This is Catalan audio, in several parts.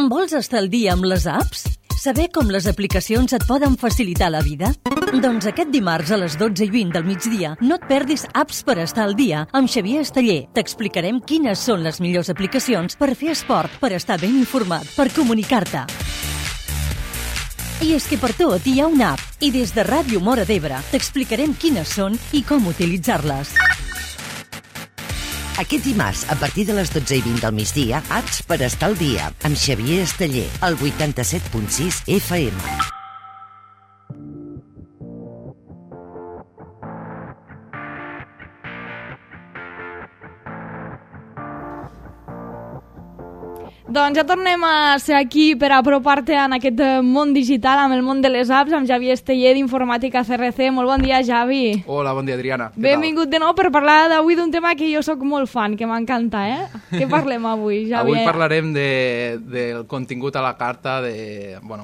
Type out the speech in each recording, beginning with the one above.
Vols estar al dia amb les apps? Saber com les aplicacions et poden facilitar la vida? Doncs aquest dimarts a les 12:20 del migdia no et perdis Apps per estar al dia amb Xavier Esteller. T'explicarem quines són les millors aplicacions per fer esport, per estar ben informat, per comunicar-te. I és que per tot hi ha una app i des de Ràdio Móra d'Ebre t'explicarem quines són i com utilitzar-les. Aquest dimarts, a partir de les 12:20 del migdia, Apps per estar al dia, amb Xavier Esteller, al 87.6 FM. Doncs ja tornem a ser aquí per apropar-te en aquest món digital, amb el món de les apps, amb Xavier Esteller d'Informàtica CRC. Molt bon dia, Xavi. Hola, bon dia, Adriana. Benvingut de nou per parlar d'avui d'un tema que jo sóc molt fan, que m'encanta, Què parlem avui, Xavier? Avui parlarem del contingut a la carta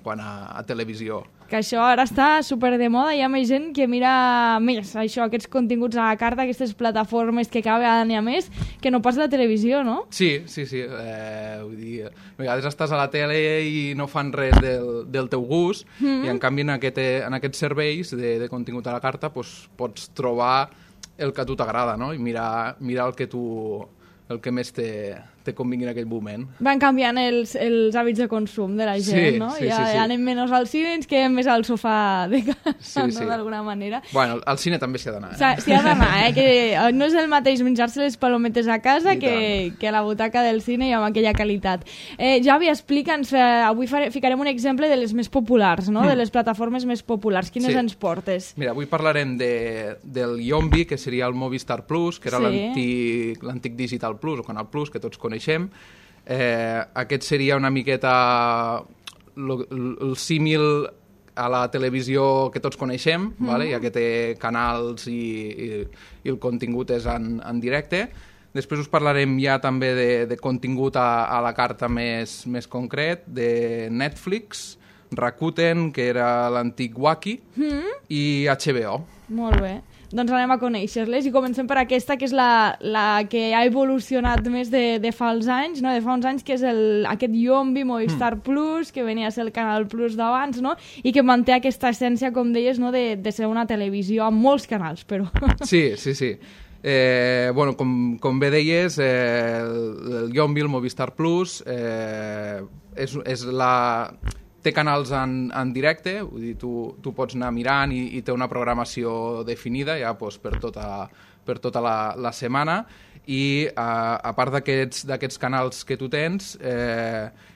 quant a televisió. Que això ara està super de moda, hi ha més gent que mira més aquests continguts a la carta, aquestes plataformes que cada vegada n'hi ha més, que no pas la televisió, no? Sí. Vull dir, a vegades estàs a la tele i no fan res del teu gust, i en canvi en aquests serveis de contingut a la carta pots trobar el que a tu t'agrada, no? I mirar el que més te convingui en aquell moment. Van canviant els hàbits de consum de la gent, no? Sí. Ja anem menys al cine, ens quedem més al sofà de casa, sí. d'alguna manera. Bueno, al cine també s'hi ha d'anar. S'hi ha d'anar, que no és el mateix menjar-se les palometes a casa que a la butaca del cine i amb aquella qualitat. Javi, explica'ns, avui ficarem un exemple de les més populars, no? De les plataformes més populars. Quines ens portes? Mira, avui parlarem del Yombi, que seria el Movistar Plus, que era l'antic Digital Plus, o Canal Plus, que tots coneixem. Aquest seria una miqueta el símil a la televisió que tots coneixem, ja que té canals i el contingut és en directe. Després us parlarem ja també de contingut a la carta més concret, de Netflix, Rakuten, que era l'antic Wacky, i HBO. Molt bé. Doncs anem a conèixer-les i comencem per aquesta, que és la que ha evolucionat més de fa uns anys, no? De fa uns anys, que és aquest Yombi, Movistar Plus, que venia a ser el Canal Plus d'abans, no? I que manté aquesta essència, com deies, no? de ser una televisió amb molts canals, però... Sí. Com bé deies, el Yombi, el Movistar Plus, té canals en directe, vull dir, tu pots anar mirant i té una programació definida ja per tota la setmana, i a part d'aquests canals que tu tens,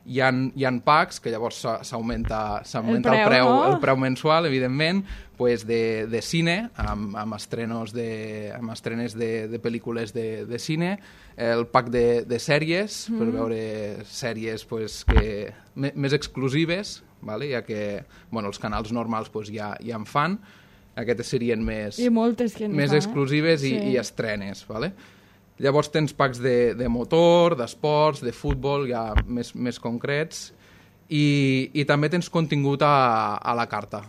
hi ha packs, que llavors s'augmenta el preu mensual, evidentment, de cine, amb estrenes de pel·lícules de cine, el pack de sèries, per veure sèries més exclusives, ja que els canals normals ja en fan, aquestes serien més exclusives i estrenes. Llavors tens packs de motor, d'esports, de futbol, ja més concrets, i també tens contingut a la carta.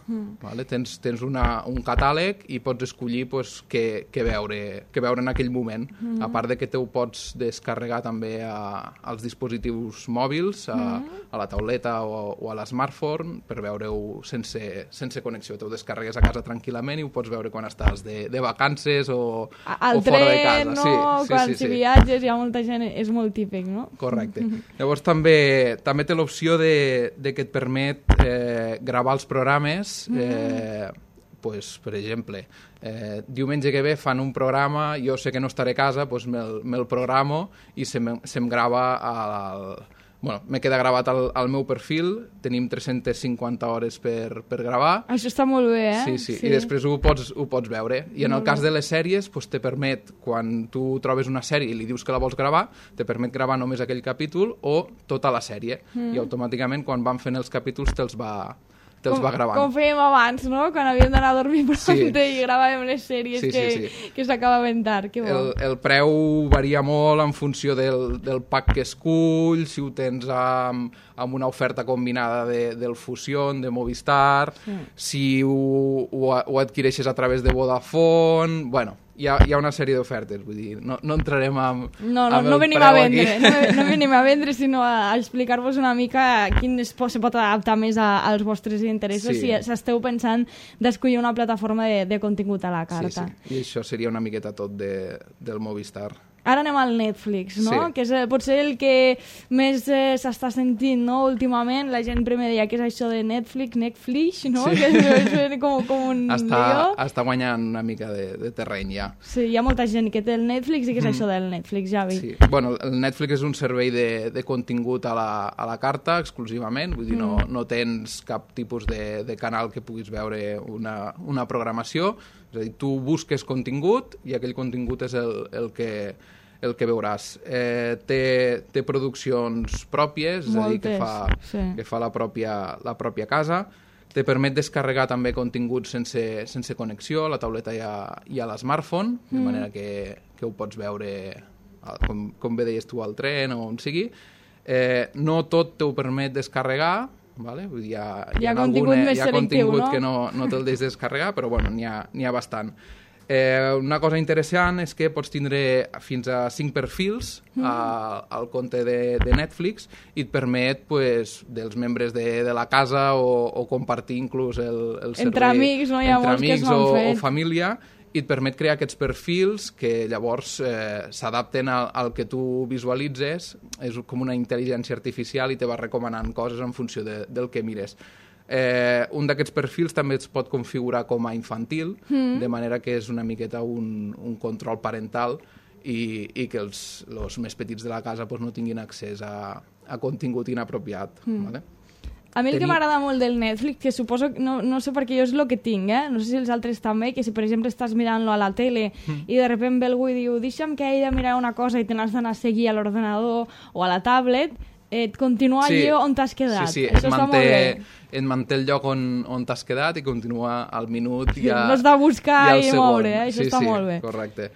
Tens un catàleg i pots escollir què veure en aquell moment, a part de que te ho pots descarregar també als dispositius mòbils, a la tauleta o a l'smartphone, per veure-ho sense connexió. Te ho descarregues a casa tranquil·lament i ho pots veure quan estàs de vacances o fora de casa. Al tren, no? Quan si viatges hi ha molta gent, és molt típic, no? Correcte. Llavors també té l'opció de que et permet gravar els programes, per exemple, diumenge que ve fan un programa, jo sé que no estaré a casa, me'l programo i se'm grava me queda gravat al meu perfil, tenim 350 hores per gravar. Això està molt bé, Sí. I després ho pots veure. I en el cas de les sèries, te permet, quan tu trobes una sèrie i li dius que la vols gravar, te permet gravar només aquell capítol o tota la sèrie. I automàticament, quan van fent els capítols, te'ls va gravant. Com fèiem abans, no? Quan havíem d'anar a dormir prompte i gravàvem les sèries que s'acabaven tard. Que bo. El preu varia molt en funció del pack que esculls, si ho tens amb una oferta combinada del Fusion, de Movistar, si ho adquireixes a través de Vodafone... hi ha una sèrie d'ofertes, vull dir, no entrarem amb no venim a vendre, no venim a vendre, sinó a explicar-vos una mica quin se pot adaptar més als vostres interessos si esteu pensant d'escollir una plataforma de contingut a la carta. Sí. I això seria una miqueta tot del Movistar. Ara anem al Netflix, no? Sí. Que és potser el que més s'està sentint, no? Últimament, la gent primer deia que és això de Netflix, no? Sí. Que és com un lío. Està guanyant una mica de terreny, ja. Sí, hi ha molta gent que té el Netflix i que és això del Netflix, Javi. Sí. Bueno, el Netflix és un servei de contingut a la carta, exclusivament, vull dir, no tens cap tipus de canal que puguis veure una programació, és a dir, tu busques contingut i aquell contingut és el que veuràs. Té produccions pròpies, és a dir, que fa la pròpia casa. Te permet descarregar també contingut sense connexió, la tauleta i a l'smartphone, de manera que ho pots veure, com bé deies tu, al tren o on sigui. No tot t'ho permet descarregar, vale? Vull dir, hi ha contingut més selectiu, no? Que no te'l deixes descarregar, però bueno, n'hi ha bastant. Una cosa interessant és que pots tindre fins a 5 perfils al compte de Netflix i et permet dels membres de la casa o compartir inclús el servei entre amics, no? Hi ha molts que s'ho han fet. O família, i et permet crear aquests perfils que llavors s'adapten al que tu visualitzes. És com una intel·ligència artificial i te va recomanant coses en funció del que mires. Un d'aquests perfils també es pot configurar com a infantil, de manera que és una miqueta un control parental i que els més petits de la casa no tinguin accés a contingut inapropiat. Vale? A mi el que m'agrada molt del Netflix, que suposo, no sé perquè jo és el que tinc, no sé si els altres també, que si per exemple estàs mirant-lo a la tele i de sobte ve algú i diu deixa'm que he de mirar una cosa i te n'has d'anar a seguir a l'ordenador o a la tablet, et continua allí on t'has quedat. Sí, això està molt bé. Et manté el lloc on t'has quedat i continua al minut. No has de buscar i moure, això està molt bé. Sí, correcte.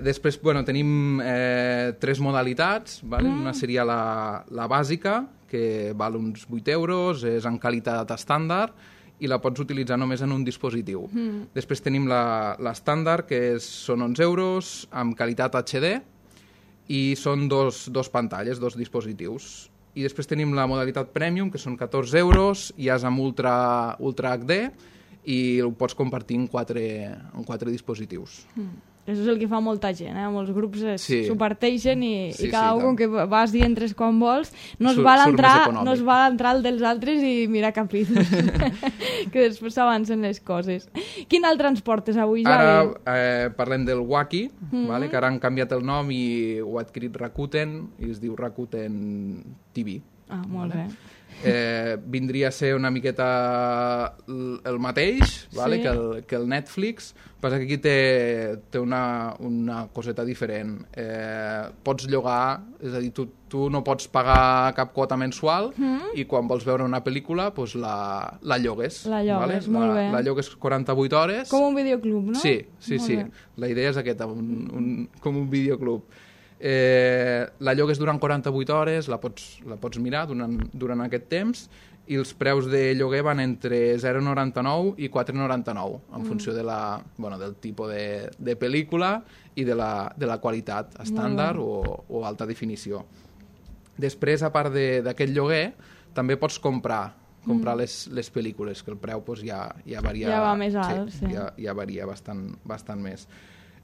Després, tenim 3 modalitats, vale? Una seria la bàsica, que val uns 8 euros, és en qualitat estàndard i la pots utilitzar només en un dispositiu. Després tenim l'estàndard, que són 11 euros, amb qualitat HD, i són dos pantalles, 2 dispositius. I després tenim la modalitat Premium, que són 14 euros, i és amb Ultra HD, i ho pots compartir en 4 dispositius. Això és el que fa molta gent, molts grups s'ho parteixen i cada un que vas i entres quan vols no es val entrar el dels altres i mirar capítols que després s'avancen les coses. Quin altre ens portes avui, Javi? Ara parlem del Wacky, vale? Que ara han canviat el nom i ho ha adquirit Rakuten i es diu Rakuten TV. Molt bé. Vindria a ser una miqueta el mateix, vale? Que el Netflix, passa que aquí té una coseta diferent. Pots llogar, és a dir, tu no pots pagar cap quota mensual i quan vols veure una pel·lícula la llogues. La llogues, vale? Molt bé. La llogues 48 hores. Com un videoclub, no? Sí. La idea és aquesta, com un videoclub. La llogues durant 48 hores, la pots mirar durant aquest temps i els preus de lloguer van entre 0,99 i 4,99 en funció del tipus de pel·lícula i de la qualitat estàndard o alta definició. Després, a part d'aquest lloguer, també pots comprar les pel·lícules, que el preu ja varia. Ja va més alt, sí. Ja varia bastant més.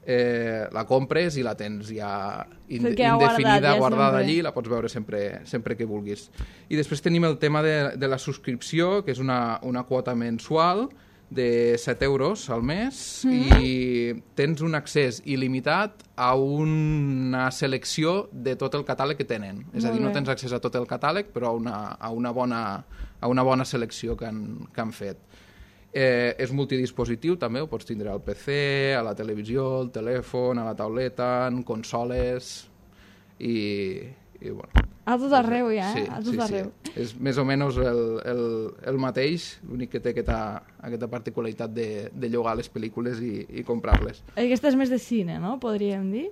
La compres i la tens ja indefinida, guardada allí, la pots veure sempre que vulguis. I després tenim el tema de la subscripció, que és una quota mensual de 7 euros al mes i tens un accés il·limitat a una selecció de tot el catàleg que tenen. És a dir, no tens accés a tot el catàleg, però a una bona selecció que han fet. És multidispositiu també, ho pots tindre al PC, a la televisió, al telèfon, a la tauleta, en consoles i bueno. A tot arreu ja, a tot arreu. És més o menys el mateix, l'únic que té aquesta particularitat de llogar les pel·lícules i comprar-les. Aquesta és més de cine, no? Podríem dir?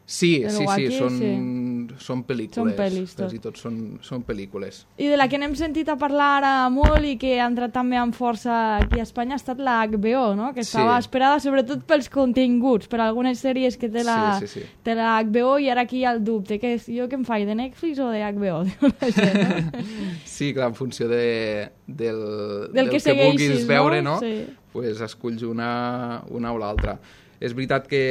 Sí, són són pel·lícules. Són pel·lis, tot. Quasi tot són pel·lícules. I de la que n'hem sentit a parlar ara molt i que ha entrat també amb força aquí a Espanya ha estat la HBO, no? Que estava esperada sobretot pels continguts, per algunes sèries que té la HBO, i ara aquí hi ha el dubte, que és jo què em faig, de Netflix o de HBO? La gent, no? Sí, clar, en funció del que vulguis veure, no? Sí. Pues esculls una o l'altra. És veritat que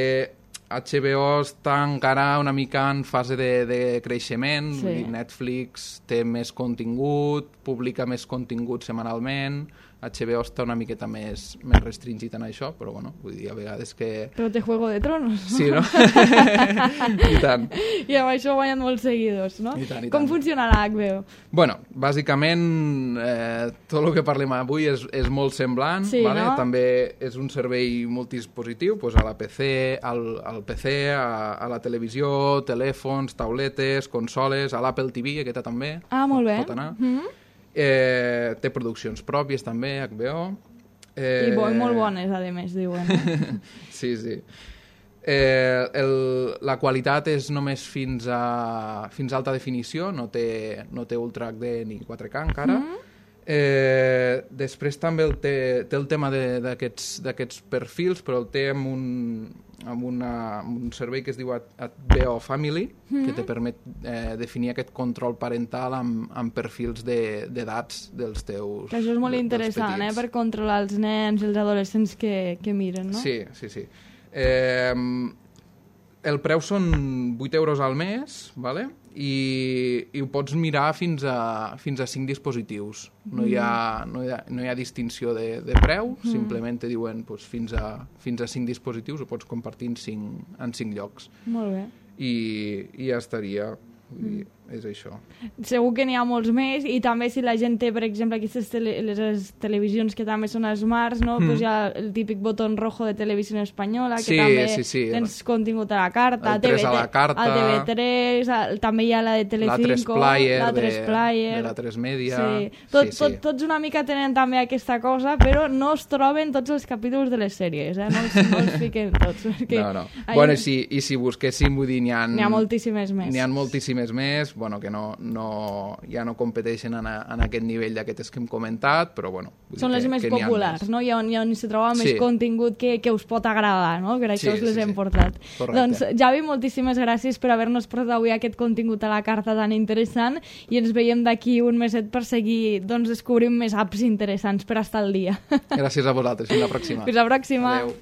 HBO està encara una mica en fase de creixement, Sí. vull dir, Netflix té més contingut, publica més contingut setmanalment, HBO està una miqueta més restringit en això, però bueno, vull dir, a vegades que... Però té Juego de Tronos. Sí, no? I tant. I amb això guanyen molts seguidors, no? I tant, i Com tant. funciona la HBO? Bueno, bàsicament tot el que parlem avui és molt semblant, Sí, vale? no? També és un servei multidispositiu, pues a la PC, al PC, a la televisió, telèfons, tauletes, consoles, a l'Apple TV, aquesta també. Ah, molt bé. Pot anar. Mm-hmm. Té produccions pròpies també, HBO. I molt bones, a més, diuen. Sí, sí. La qualitat és només fins a alta definició, no té Ultra HD ni 4K encara. Després també té el tema d'aquests perfils, però el té amb un servei que es diu HBO Family, que te permet definir aquest control parental amb perfils d'edats dels teus... Que això és molt interessant, per controlar els nens i els adolescents que miren, no? Sí, sí, sí. El preu són 8 euros al mes, ¿vale? I ho pots mirar fins a 5 dispositius. No hi ha distinció de preu, simplement te diuen pues, fins a 5 dispositius, ho pots compartir en 5 llocs. Molt bé. I ja estaria. Vull dir, és això. Segur que n'hi ha molts més, i també si la gent té, per exemple, aquestes les televisions que també són smarts, no? Pues hi ha el típic botó rojo de Televisió Espanyola, que també tens contingut a la carta, el 3 a la carta, al TV3, també hi ha la de Telecinco, la 3Player, de la 3 Media... Sí. Tots una mica tenen també aquesta cosa, però no es troben tots els capítols de les sèries, no els fiquen tots. No. Bueno, i si busquéssim, vull dir, n'hi ha moltíssimes més. N'hi ha moltíssimes més, bueno, que ja no competeixen en aquest nivell d'aquestes que hem comentat, però bueno... Són les més populars, no? I on se troba més contingut que us pot agradar, no? Per això us les hem portat. Correcte. Doncs, Javi, moltíssimes gràcies per haver-nos portat avui aquest contingut a la carta tan interessant, i ens veiem d'aquí un meset per seguir descobrint més apps interessants per estar al dia. Gràcies a vosaltres. Fins la pròxima. Fins la pròxima. Adéu.